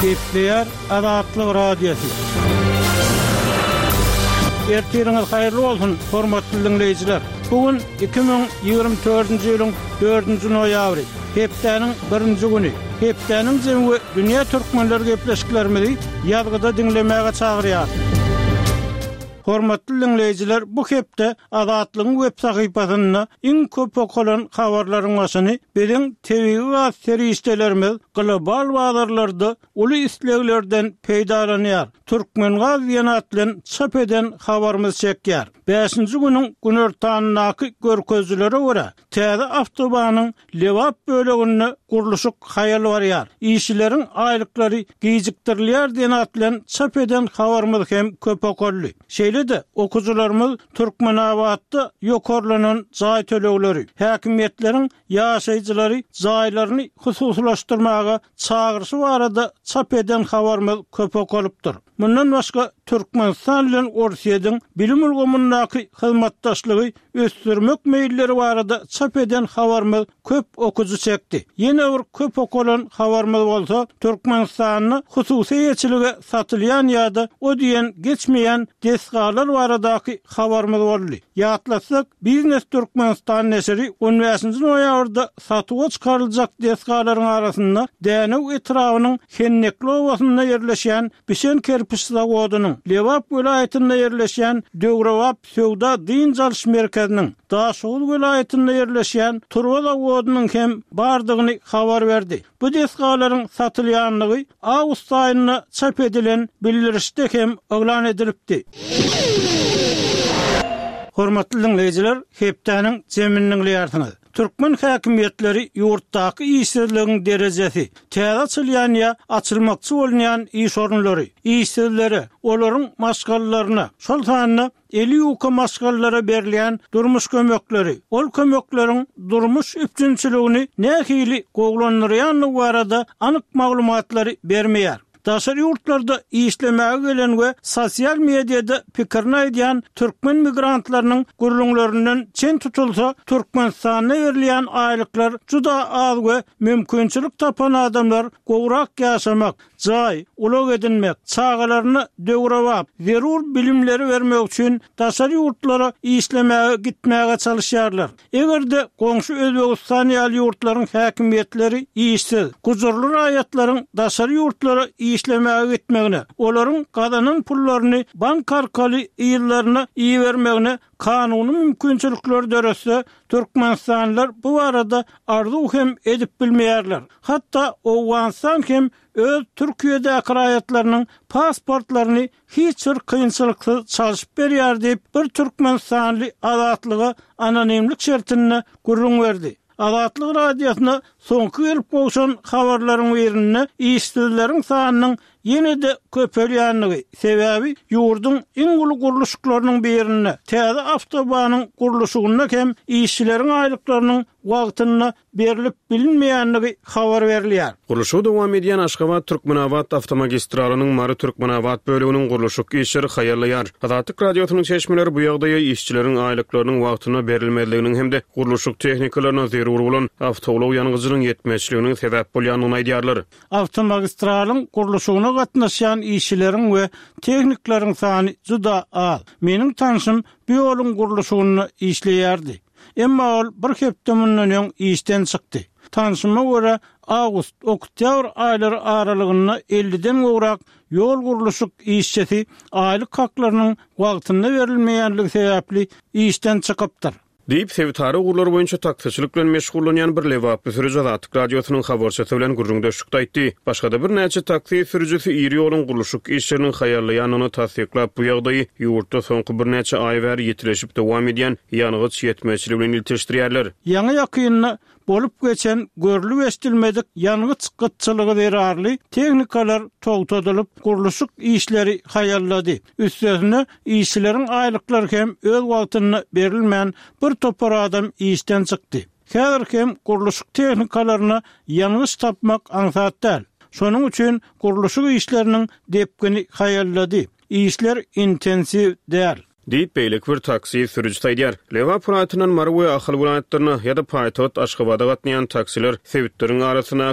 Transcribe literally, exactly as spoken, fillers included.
Gepleýär Azatlyk Radiosy. Ertiriňiz haýyrly bolsun, hormatly diňleýjiler! Bu gün iki müň ýigrimi dördünji ýylyň dördünji noýabry, hepdäniň birinji güni. Hepdäniň jemi we dünýä türkmenleri gepleşiklerimizi ýazgyda diňlemäge çagyrýar. Hormatly diňleýjiler, bu hepde Azatlygyň web sahypasynda iň köp okalan habarlaryň başyny biziň tebigy gaz serişdelerimiz global bazarlarda uly isleglerden peýdalanýar, Türkmengaz diýen at bilen çap eden habarymyz çekýär. Bäşinji günüň günortanyndaky görkezijilere görä, täze awtobanyň Lebap böleginde gurluşyk haýal barýar, işçileriň aýlyklary gijikdirilýär diýen at bilen çap eden habarymyz hem köp okaldy. Şeýle-de, okyjylarymyz Türkmenabatda ýokarlanan jaý tölegleri, häkimiýetleriň ýaşaýjylary jaýlaryny hususylaşdyrmaga çagyryşy barada çap eden habarymyz köp okalypdyr. Mundan başga, Türkmenistan bilen Orsýetiň bilim ulgamyndaky hyzmatdaşlygy ösdürmek meýilleri barada çap eden habarymyz köp okyjy çekdi. Ýene bir köp okalan habarymyz bolsa, Türkmenistanda hususy eýeçilige satylýan ýa-da o diýen geçmeýän desgalar baradaky habarymyz boldy. Ýatlatsak, Biznes Türkmenistan neşiri on bäşinji noýabrda satuwa çykaryljak desgalaryň arasynda Dänew etrabynyň Hennekli obasynda ýerleşýän bişen kerpiç zawodynyň, Lebap welaýatynda ýerleşýän döwrebap söwda-dynç alyş merkeziniň, Daşoguz welaýatynda ýerleşýän turba zawodynyň hem bardygyny habar berdi. Bu desgalaryň satylýandygy awgust aýynda çap edilen bildirişde hem yglan edilipdi. Hormatly diňleýjiler, hepdäniň jemini diňleýärsiňiz. Türkmen häkimiýetleri ýurtdaky işsizligiň derejesi, täze açylýan ýa açylmakçy bolunýan iş orunlary, işsizlere, olaryň maşgalalaryna, şol sanda eli ýuka maşgalalara berilýän durmuş kömekleri, ol kömekleriň durmuş üpjünçiligini nähili gowulandyrýandygy barada anyk maglumatlary bermeýär. Daşary ýurtlarda işlemäge gelen we sosial mediada pikirini aýdýan türkmen migrantlarynyň gürrüňlerinden çen tutulsa, Türkmenistanda berilýän aýlyklar juda az we mümkinçilik tapan adamlar gowrak ýaşamak, jaý, ulag edinmek, çagalaryna döwrebap, zerur bilimleri bermek üçin daşary ýurtlara işlemäge gitmäge çalyşýarlar. Eger-de goňşy Özbegistan ýaly ýurtlaryň häkimiýetleri işsiz, gujurly raýatlaryň daşary ýurtlara işlemäge gitmegine, olaryň gazanan pullaryny bank arkaly yzlaryna ibermegine kanuny mümkinçilikleri döretse, türkmenistanlylar bu barada arzuw hem edip bilmeýärler. Hatda Owganystan hem öz Türkiýedäki raýatlarynyň pasportlaryny hiç bir kynçylyksyz çalşyp berýär diýip, bir türkmenistanly Azatlyga anonimlik şertinde gürrüň berdi. Azatlyk Radiosyna soňky gelip gowşan habarlaryň birinde işsizleriň sanynyň ýene-de köpelýändigi, sebäbi ýurduň iň uly gurluşyklarynyň birinde, täze awtobanyň gurluşygynda hem işçileriň aýlyklarynyň wagtynda berlip bilinmeýändigi habar berilýär. Gurluşygy dowam edýän Aşgabat-Türkmenabat awtomagistralynyň Mary-Türkmenabat böleginiň gurluşyk işleri haýallaýar. Azatlyk Radiosynyň çeşmeleri bu ýagdaýa işçileriň aýlyklarynyň wagtynda berilmezliginiň hem-de gurluşyk tehnikalaryna zerur bolan awtoulag ýangyjynyň ýetmezçiliginiň sebäp bolýandygyny aýdýarlar. Awtomagistralyň gurluşygyna gatnaşýan işçileriň we tehnikleriň sany juda az. Meniň tanşym bu ýoluň gurluşygynda işleýärdi. Emma ol bir hepde mundan öň işden çykdy. Tanşyma görä, awgust, oktýabr aýlary aralygynda elliden gowrak ýol gurluşyk işçisi aýlyk haklarynyň wagtynda berilmeýänligi sebäpli işden çykypdyr. Diýip, sebitara ugurlar boýunça taksiçilik bilen meşgullanýan bir lebaply sürüji Azatlyk Radiosynyň habarçysy bilen gürrüňdeşlikde aýtdy. Başga-da birnäçe taksi sürüjisi iri ýoluň gurluşyk işleriniň haýallaýandygyny tassyklap, bu ýagdaýy ýurtda soňky birnäçe aý bäri ýitileşip dowam edýän ýangyç ýetmezçiligi bilen ilteşdirýärler. Ýaňy-ýakynda bolup geçen görlüp-eşidilmedik ýangyç gytçylygy zerarly tehnikalar togtadylyp, gurluşyk işleri haýallady. Üstesine, işçileriň aýlyklary hem öz wagtynda berilmän, bir topar adam işden çykdy. Häzir hem gurluşyk tehnikalaryna ýangyç tapmak aňsat däl. Şonuň üçin gurluşyk işleriniň depgini haýallady. Işler intensiw däl. Diýip, beýleki bir taksi sürüjisi aýdýar. Lebap welaýatyndan Mary we Ahal welaýatlaryna ýa-da paýtagt Aşgabada gatnaýan taksiler sebitleriň arasyndaky